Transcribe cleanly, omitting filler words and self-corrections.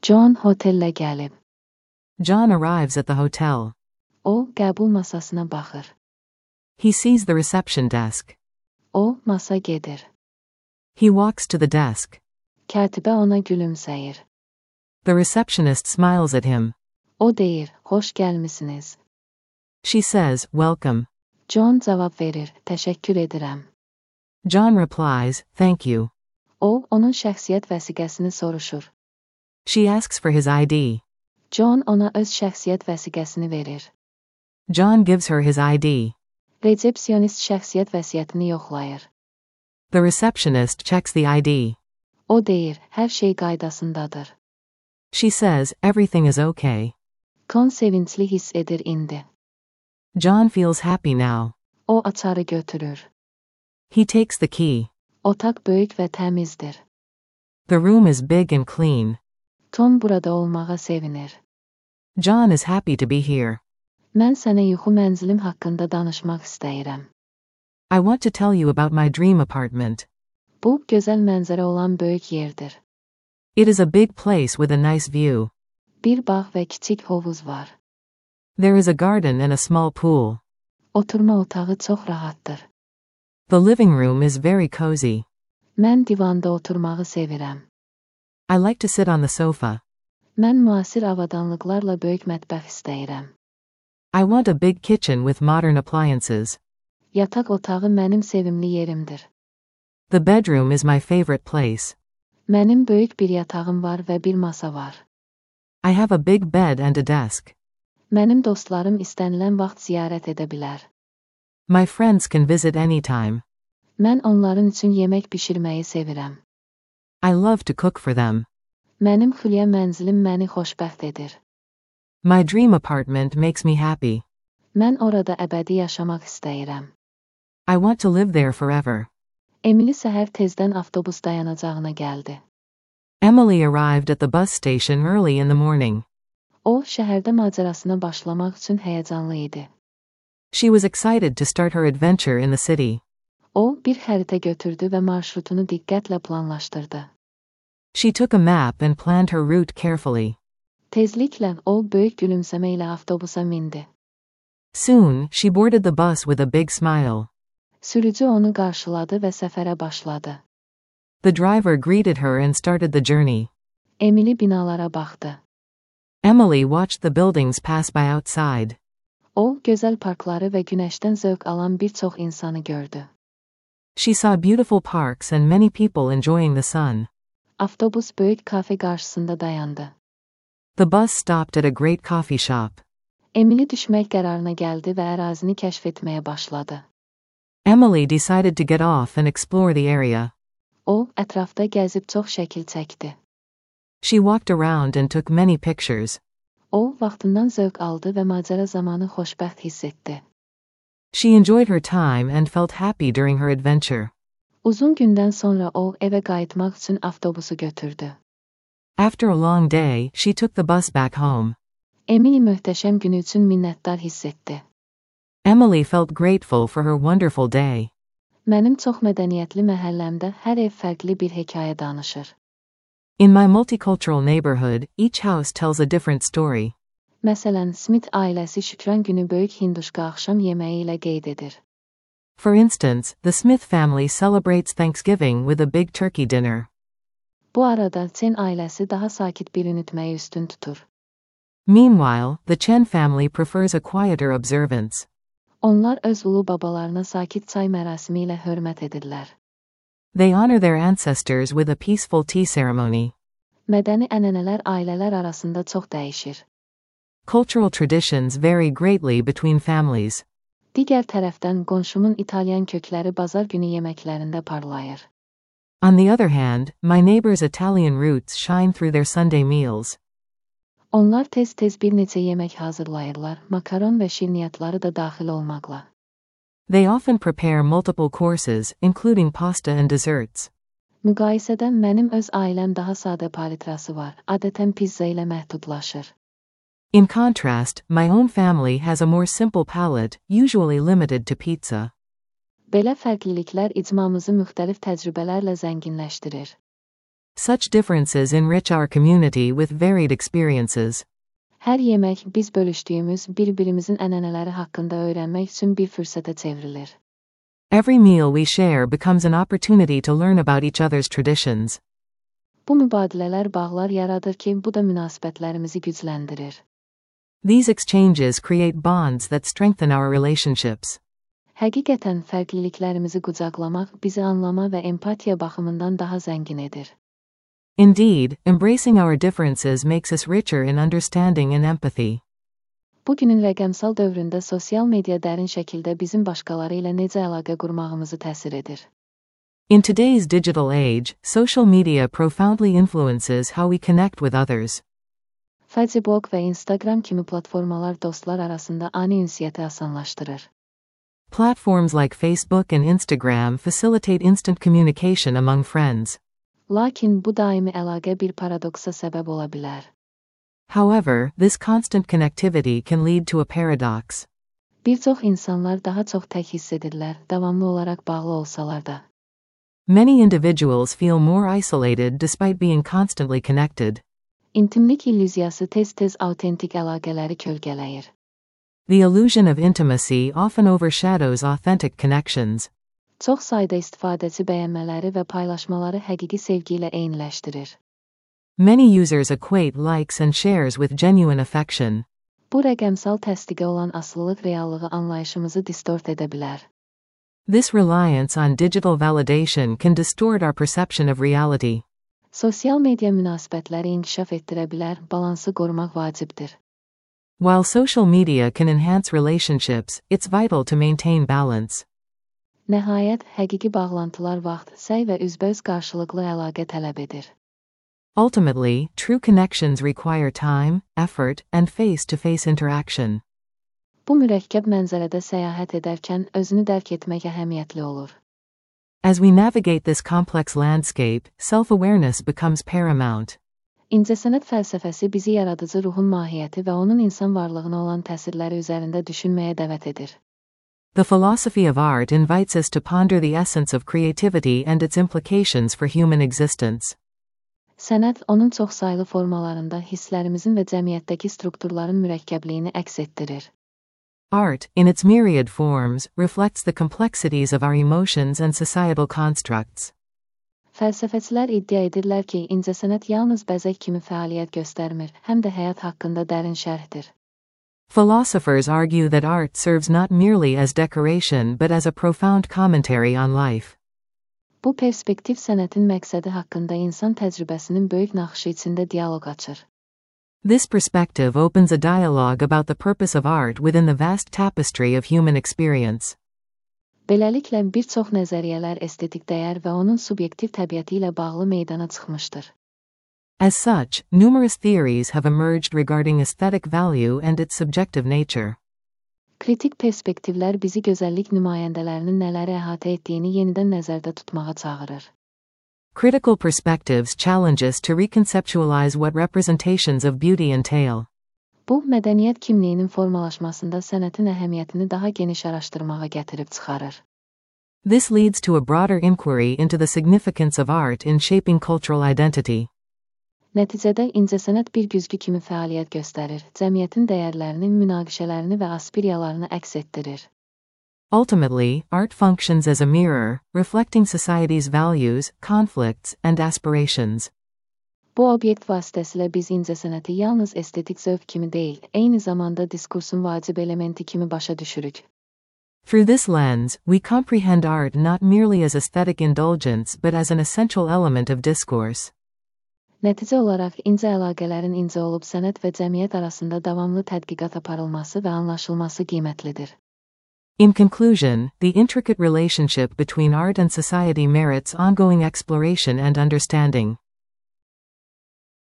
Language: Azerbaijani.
John hotellə gəlib. John arrives at the hotel. O, qəbul masasına baxır. He sees the reception desk. O, masa gedir. He walks to the desk. Katibə ona gülümsəyir. The receptionist smiles at him. O deyir, xoş gəlmisiniz. She says, welcome. John cavab verir, təşəkkür edirəm. John replies, thank you. O, onun şəxsiyyət vəsiqəsini soruşur. She asks for his ID. John ona öz şəxsiyyət vəsiqəsini verir. John gives her his ID. Resepsiyonist şəxsiyyət vəsiyyətini yoxlayır. The receptionist checks the ID. O deyir, hər şey qaydasındadır. She says, everything is okay. Con sevincli hiss edir indi. John feels happy now. O açarı götürür. He takes the key. Otaq böyük və təmizdir. The room is big and clean. Tom burada olmağa sevinir. John is happy to be here. Mən sənə yuxu mənzilim haqqında danışmaq istəyirəm. I want to tell you about my dream apartment. Bu, gözəl mənzərə olan böyük yerdir. It is a big place with a nice view. Bir bağ və kiçik hovuz var. There is a garden and a small pool. Oturma otağı çox rahatdır. The living room is very cozy. Mən divanda oturmağı sevirəm. I like to sit on the sofa. Mən müasir avadanlıqlarla böyük mətbəx istəyirəm. I want a big kitchen with modern appliances. Yataq otağı mənim sevimli yerimdir. The bedroom is my favorite place. Mənim böyük bir yatağım var və bir masa var. I have a big bed and a desk. Mənim dostlarım istənilən vaxt ziyarət edə bilər. My friends can visit anytime. Mən onların üçün yemək bişirməyi sevirəm. I love to cook for them. Mənim xülyə mənzilim məni xoşbəxt edir. My dream apartment makes me happy. Mən orada əbədi yaşamaq istəyirəm. I want to live there forever. Emily səhər tezdən avtobus dayanacağına gəldi. Emily arrived at the bus station early in the morning. O, şəhərdə macərasına başlamaq üçün həyəcanlı idi. She was excited to start her adventure in the city. O, bir xəritə götürdü və marşrutunu diqqətlə planlaşdırdı. She took a map and planned her route carefully. Tezliklə o, böyük gülümsəmə ilə avtobusa mindi. Soon, she boarded the bus with a big smile. Sürücü onu qarşıladı və səfərə başladı. The driver greeted her and started the journey. Emily binalara baxdı. Emily watched the buildings pass by outside. O, gözəl parkları və günəşdən zövq alan bir çox insanı gördü. She saw beautiful parks and many people enjoying the sun. Avtobus böyük kafe qarşısında dayandı. The bus stopped at a great coffee shop. Emily düşmək qərarına gəldi və ərazini kəşf etməyə başladı. Emily decided to get off and explore the area. O, ətrafda gəzib çox şəkil çəkdi. She walked around and took many pictures. O, vaxtından zövq aldı və macəra zamanı xoşbəxt hiss etdi. She enjoyed her time and felt happy during her adventure. Uzun gündən sonra o, evə qayıtmaq üçün avtobusu götürdü. After a long day, she took the bus back home. Emily möhtəşəm günü üçün minnətdar hiss etdi. Emily felt grateful for her wonderful day. Mənim çox mədəniyyətli məhəlləmdə hər ev fərqli bir hekayə danışır. In my multicultural neighborhood, each house tells a different story. Məsələn, Smith ailəsi Şükran günü böyük hinduşka axşam yeməyi ilə qeyd edir. For instance, the Smith family celebrates Thanksgiving with a big turkey dinner. Bu arada Chen ailəsi daha sakit bir unutmayı üstün tutur. Meanwhile, the Chen family prefers a quieter observance. Onlar öz ulu babalarına sakit çay mərasimi ilə hörmət edirlər. They honor their ancestors with a peaceful tea ceremony. Mədəni ənənələr ailələr arasında çox dəyişir. Cultural traditions vary greatly between families. Digər tərəfdən qonşumun İtalyan kökləri bazar günü yeməklərində parlayır. On the other hand, my neighbor's Italian roots shine through their Sunday meals. Onlar tez-tez bir neçə yemək hazırlayırlar, makaron və şirniyyatları da daxil olmaqla. They often prepare multiple courses, including pasta and desserts. Müqayisədə mənim öz ailəm daha sadə palitrası var, adətən pizza ilə məhdudlaşır. In contrast, my own family has a more simple palate, usually limited to pizza. Belə fərqliliklər icmamızı müxtəlif təcrübələrlə zənginləşdirir. such differences enrich our community with varied experiences. Hər yemək biz bölüşdüyümüz bir-birimizin ənənələri haqqında öyrənmək üçün bir fürsətə çevrilir. Every meal we share becomes an opportunity to learn about each other's traditions. Bu mübadilələr bağlar yaradır ki, bu da münasibətlərimizi gücləndirir. These exchanges create bonds that strengthen our relationships. Həqiqətən fərqliliklərimizi qucaqlamaq bizi anlama və empatiya baxımından daha zəngin edir. Indeed, embracing our differences makes us richer in understanding and empathy. Bugünün rəqəmsal dövründə sosial media dərin şəkildə bizim başqaları ilə necə əlaqə qurmağımızı təsir edir. In today's digital age, social media profoundly influences how we connect with others. Facebook və Instagram kimi platformalar dostlar arasında ani ünsiyyəti asanlaşdırır. Platforms like Facebook and Instagram facilitate instant communication among friends. Lakin bu daimi əlaqə bir paradoksa səbəb ola bilər. However, this constant connectivity can lead to a paradox. Bir çox insanlar daha çox tək hiss edirlər, davamlı olaraq bağlı olsalar da. Many individuals feel more isolated despite being constantly connected. İntimlik illüziyası tez-tez autentik əlaqələri kölgələyir. The illusion of intimacy often overshadows authentic connections. Çox sayda istifadəçi bəyənmələri və paylaşmaları həqiqi sevgi ilə eyniləşdirir. Many users equate likes and shares with genuine affection. Bu rəqəmsal təsdiqə olan asılılıq reallığı anlayışımızı distort edə bilər. This reliance on digital validation can distort our perception of reality. Sosial media münasibətləri inkişaf etdirə bilər, balansı qorumaq vacibdir. While social media can enhance relationships, it's vital to maintain balance. Nəhayət, həqiqi bağlantılar vaxt, səy və üzbəüz qarşılıqlı əlaqə tələb edir. Ultimately, true connections require time, effort, and face-to-face interaction. Bu mürəkkəb mənzərədə səyahət edərkən özünü dərk etmək əhəmiyyətli olur. As we navigate this complex landscape, self-awareness becomes paramount. İncəsənət fəlsəfəsi bizi yaradıcı ruhun mahiyyəti və onun insan varlığına olan təsirləri üzərində düşünməyə dəvət edir. The philosophy of art invites us to ponder the essence of creativity and its implications for human existence. Sənət onun çoxsaylı formalarında hisslərimizin və cəmiyyətdəki strukturların mürəkkəbliyini əks etdirir. Art, in its myriad forms, reflects the complexities of our emotions and societal constructs. Fəlsəfəçilər iddia edirlər ki, incəsənət yalnız bəzək kimi fəaliyyət göstərmir, həm də həyat haqqında dərin şərhdir. Philosophers argue that art serves not merely as decoration but as a profound commentary on life. Bu perspektiv sənətin məqsədi haqqında insan təcrübəsinin böyük naxışı içində dialoq açır. This perspective opens a dialogue about the purpose of art within the vast tapestry of human experience. Beləliklə, bir çox nəzəriyyələr estetik dəyər və onun subyektiv təbiəti ilə bağlı meydana çıxmışdır. As such, numerous theories have emerged regarding aesthetic value and its subjective nature. Kritik perspektivlər bizi gözəllik nümayəndələrinin nələri əhatə etdiyini yenidən nəzərdə tutmağa çağırır. Critical perspectives challenge us to reconceptualize what representations of beauty entail. Bu, mədəniyyət kimliyinin formalaşmasında sənətin əhəmiyyətini daha geniş araşdırmağa gətirib çıxarır. This leads to a broader inquiry into the significance of art in shaping cultural identity. Nəticədə incəsənət bir güzgü kimi fəaliyyət göstərir, cəmiyyətin dəyərlərini, münaqişələrini və aspiriyalarını əks etdirir. Ultimately, art functions as a mirror, reflecting society's values, conflicts, and aspirations. Bu obyekt vasitəsilə biz incəsənəti yalnız estetik zövq kimi deyil, eyni zamanda diskursun vacib elementi kimi başa düşürük. Through this lens, we comprehend art not merely as aesthetic indulgence but as an essential element of discourse. Nəticə olaraq incə əlaqələrin incə olub sənət və cəmiyyət arasında davamlı tədqiqat aparılması və anlaşılması qiymətlidir. In conclusion, the intricate relationship between art and society merits ongoing exploration and understanding.